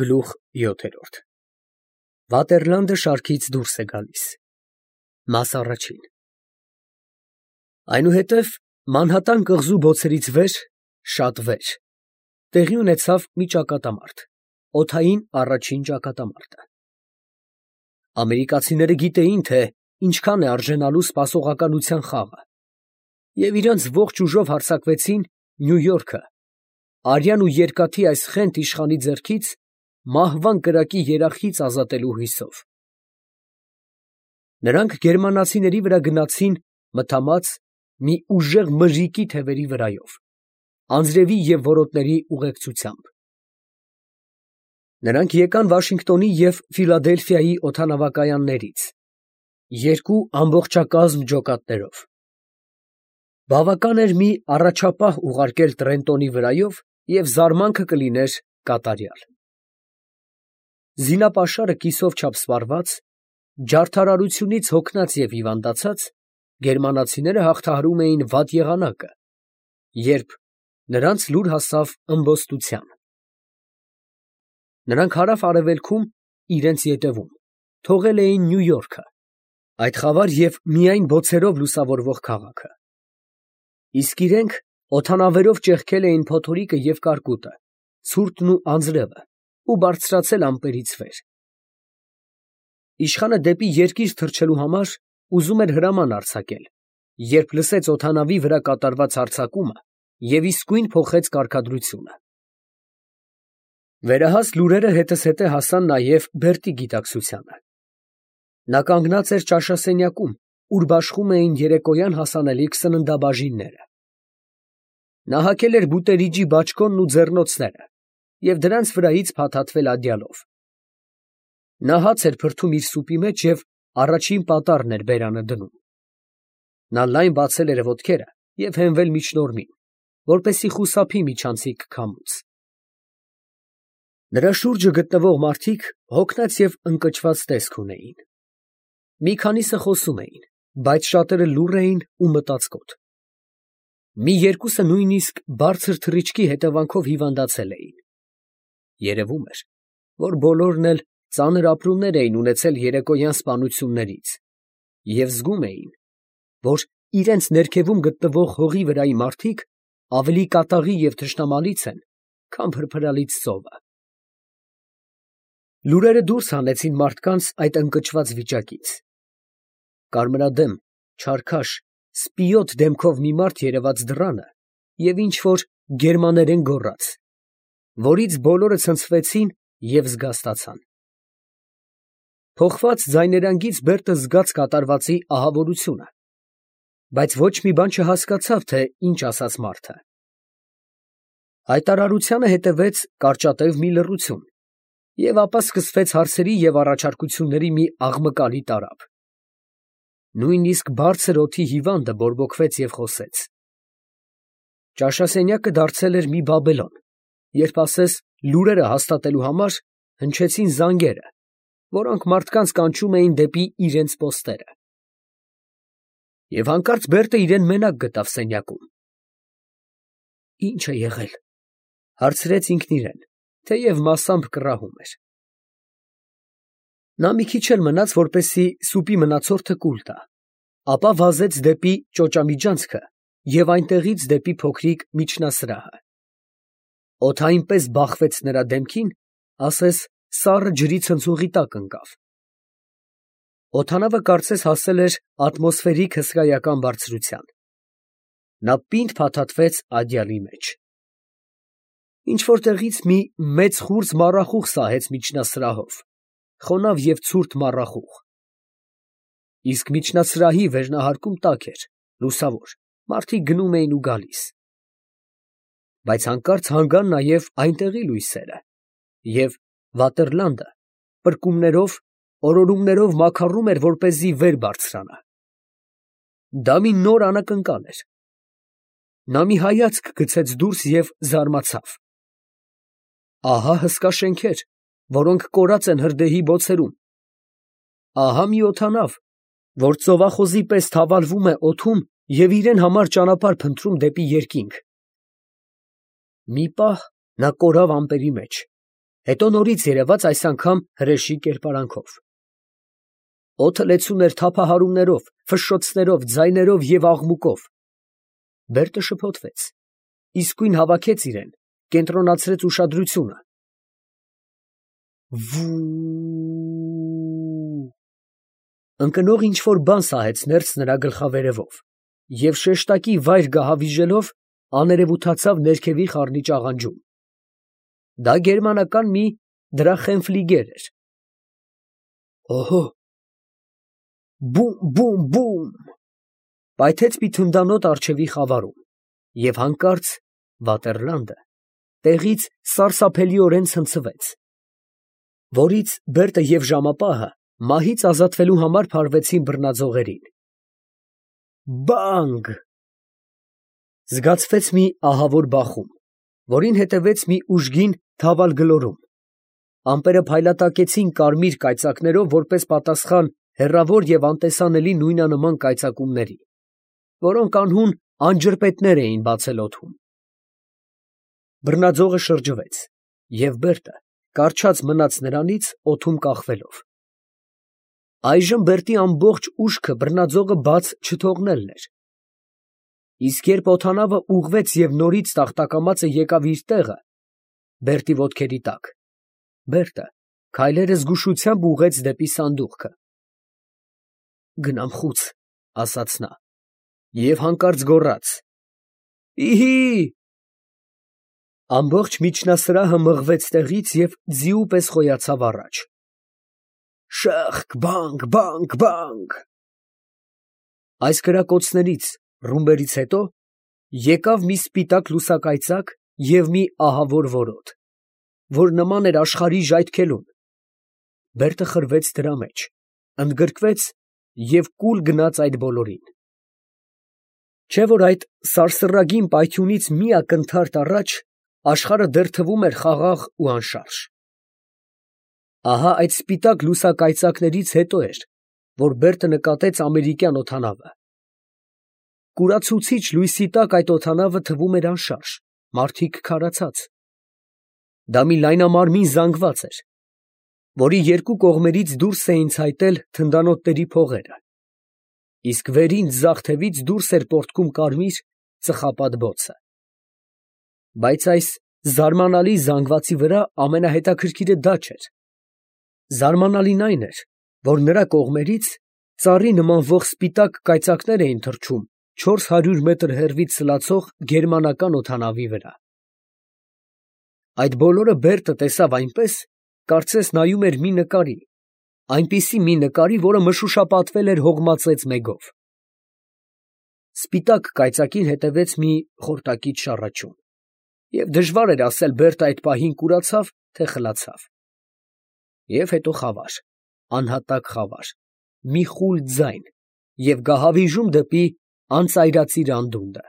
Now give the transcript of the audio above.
Գլուխ 7 Վատերլանդը շարքից դուրս է գալիս։ Մաս առաջին Այնուհետև Մանհատան կղզու բոցերից վեր, շատ վեր, տեղի ունեցավ մի ճակատամարտ, օդային առաջին ճակատամարտը։ Ամերիկացիները գիտեին, թե ինչքան է արժենալու սպասողականության խաղը, և իրանց ողջ ուժով հարձակվեցին Նյու Յորքը, արյան ու երկաթի այս խենթ իշխանի ձեռքից մահվան կրակի երախից ազատելու հույսով։ Նրանք գերմանացիների վրա գնացին մթամած մի ուժեղ մրրիկի թևերի վրայով, անձրևի և որոտների ուղեկցությամբ։ Նրանք եկան Վաշինգտոնի և Ֆիլադելֆիայի օդանավակայաններից, երկու ամբողջակազմ ջոկատներով։ Բավական էր մի առաջապահ ուղարկել Տրենտոնի վրայով, և զարմանքը կլիներ կատարյալ։ Զինապաշարը կիսով չափ սպառված, ջարդարարությունից հոգնած և հիվանդացած, գերմանացիները հաղթահարում էին վատ եղանակը, երբ նրանց լուր հասավ ըմբոստության։ Նրանք հարավ֊արևելքում իրենց ետևում թողել էին Նյու Յորքը, այդ խավար և միայն բոցերով լուսավորվող քաղաքը, իսկ իրենք օդանավերով ճեղքել էին փոթորիկը և կարկուտը, ցուրտն ու անձրևը ու բարձրացել ամպերից վեր։ Իշխանը դեպի երկիր թռչելու համար ուզում էր հրաման արձակել, երբ լսեց օդանավի վրա կատարված հարձակումը և իսկույն փոխեց կարգադրությունը։ Վերահաս լուրերը հետզհետե հասան նաև Բերտի գիտակցությանը։ Նա կանգնած էր ճաշասենյակում, ուր բաշխում էին երեկոյան հասանելիք սննդաբաժինները։ Նա հագել էր բուտերիջի բաճկոնն ու ձեռնոցները և դրանց վրայից փաթաթվել ադյալով։ Նա հաց էր փրթում իր սուպի մեջ և առաջին պատառն էր բերանը դնում։ Նա լայն բացել էր ոտքերը և հենվել միջնորմին, որպեսզի խուսափի միջանցիկ քամուց։ Նրա շուրջը գտնվող մարդիկ հոգնած և ընկճված տեսք ունեին։ Մի քանիսը խոսում էին, բայց շատերը լուռ էին ու մտածկոտ։ Մի երկուսը նույնիսկ բարձր թռիչքի հետևանքով հիվանդացել էին։ Երևում էր, որ բոլորն էլ ծանր ապրումներ էին ունեցել երեկոյան սպանություններից և զգում էին, որ իրենց ներքևում գտնվող հողի վրայի մարդիկ ավելի կատաղի և թշնամալից են, քան փրփրալից ծովը։ Լուրերը դուրս հանեցին մարդկանց այդ ընկճված վիճակից։ Կարմրադեմ, չարքաշ, սպիոտ դեմքով մի մարդ երևաց դռանը և ինչ֊որ գերմաներեն գոռաց, որից բոլորը ցնցվեցին և զգաստացան։ Փոխված ձայներանգից Բերտը զգաց կատարվածի ահավորությունը, բայց ոչ մի բան չհասկացավ, թե ինչ ասաց մարդը։ Հայտարարությանը հետևեց կարճատև մի լռություն, և ապա սկսվեց հարցերի և առաջարկությունների մի աղմկալի տարափ։ Նույնիսկ բարձր օդի հիվանդը բորբոքվեց և խոսեց։ Ճաշասենյակը դարձել էր մի Բաբելոն, երբ ասես լուրերը հաստատելու համար հնչեցին զանգերը, որոնք մարդկանց կանչում էին դեպի իրենց պոստերը։ Եվ հանկարծ Բերտը իրան մենակ գտավ սենյակում։ «Ի՞նչ է եղել», ֊ հարցրեց ինքն իրան, թեև մասամբ կռահում էր։ Նա մի քիչ էլ մնաց, որպեսզի սուպի մնացորդը կուլ տա, ապա վազեց դեպի ճոճամիջանցքը և այնտեղից դեպի փոքրիկ միջնասրահը։ Օդը այնպես բախվեց նրա դեմքին, ասես սառը ջրի ցնցողի տակ ընկավ։ Օդանավը կարծես հասել էր ատմոսֆերիկ հսկայական բարձրության։ Նա պինդ փաթաթվեց ադյալի մեջ։ Ինչ֊որ տեղից մի մեծ խուրձ մառախուղ սահեց միջնասրահով, խոնավ և ցուրտ մառախուղ։ Իսկ միջնասրահի վերնահարկում տաք էր, լուսավոր, մարդիկ գնում էին ու գալիս։ Բայց հանկարծ հանգան նաև այնտեղի լույսերը, և Վատերլանդը պրկումներով, օրորումներով մաքարում էր, որպեսզի վեր բարձրանա։ Դա մի նոր անակնկալ էր։ Նա մի հայացք գցեց դուրս և զարմացավ։ Ահա հսկա շենքեր, որոնք կորած են հրդեհի բոցերում։ Ահա մի օդանավ, որ ծովախոզի պես թավալվում է օդում և իրան համար ճանապարհ փնտրում դեպի երկինք։ Մի պահ նա կորավ ամպերի մեջ, Հետո նորից երևաց այս անգամ հրեշի կերպարանքով։ Օդը լեցուն էր թափահարումներով, ֆշշոցներով, ձայներով և աղմուկով։ Բերտը շփոթվեց, իսկույն հավաքեց իրեն, կենտրոնացրեց ուշադրությունը։ Վուուուու… Ընկնող ինչ-որ բան սահեց ներս նրա գլխավերևով և շեշտակի վայր գահավիժելով աներևութացավ ներքևի խառնիճ աղանջում։ Դա գերմանական մի դրախենֆլիգեր էր։ Օհո՜… Բում, բում, բում… Պայթեց մի թնդանոթ առջևի խավարում, և հանկարծ Վատերլանդը տեղից սարսափելիորեն ցնցվեց, որից Բերտը և ժամապահը մահից ազատվելու համար փարվեցին բռնաձողերին։ Բանգ… Զգացվեց մի ահավոր բախում, որին հետևեց մի ուժգին թավալ գլորում։ Ամպերը փայլատակեցին կարմիր կայծակներով որպես պատասխան հեռավոր և անտեսանելի նույնանման կայծակումների, որոնք անհուն անջրպետներ էին բացել օդում։ Բռնաձողը շրջվեց, և Բերտը կառչած մնաց նրանից օդում կախվելով։ Այժմ Բերտի ամբողջ ուժքը բռնաձողը բաց չթողնելն էր։ Իսկ երբ օդանավը ուղղվեց և նորից տախտակամածը եկավ իր տեղը Բերտի ոտքերի տակ, Բերտը քայլերը զգուշությամբ ուղղեց դեպի սանդուղքը։ «Գնամ խուց», ասաց նա, և հանկարծ գոռաց. «Իհի՜»։ Ամբողջ միջնասրահը մղվեց տեղից և ձիու պես խոյացավ առաջ։ Շըխկ, բանգ, բանգ, բանգ… Այս կրակոցներից, ռումբերից հետո եկավ մի սպիտակ լուսակայծակ և մի ահավոր որոտ, որ նման էր աշխարհի ժայթքելուն։ Բերտը խրվեց դրա մեջ, ընդգրկվեց և կուլ գնաց այդ բոլորին։ Չէ՞ որ այդ սարսռագին պայթյունից մի ակնթարթ առաջ աշխարհը դեռ թվում էր խաղաղ ու անշարժ։ Ահա այդ սպիտակ լուսակայծակներից հետո էր, որ Բերտը նկատեց ամերիկյան օդանավը։ Կուրացուցիչ լույսի տակ այդ օդանավը թվում էր անշարժ, մարդիկ քարացած։ Դա մի լայնամարմին զանգված էր, որի երկու կողմերից դուրս էին ցայտել թնդանոթների փողերը, իսկ վերին ձախ թևից դուրս էր պոռթկում կարմիր ծխապատ բոցը։ Բայց այս զարմանալի զանգվածի վրա ամենահետաքրքիրը դա չէր։ Զարմանալին այն էր, որ նրա կողմերից ծառի նմանվող սպիտակ կայծակներ էին թռչում 400 մետր հեռվից սլացող գերմանական օդանավի վրա։ Այդ բոլորը Բերտը տեսավ այնպես, կարծես նայում էր մի նկարի, այնպիսի մի նկարի, որը մշուշապատվել էր հողմածեց մեգով։ Սպիտակ կայծակին հետևեց մի խորտակից շառաչյուն, և դժվար էր ասել Բերտը այդ պահին կուրացավ, թե խլացավ։ Եվ հետո խավար, անհատակ խավար, մի խուլ ձայն և գահավիժում դեպի անծայրածիր անդունդը։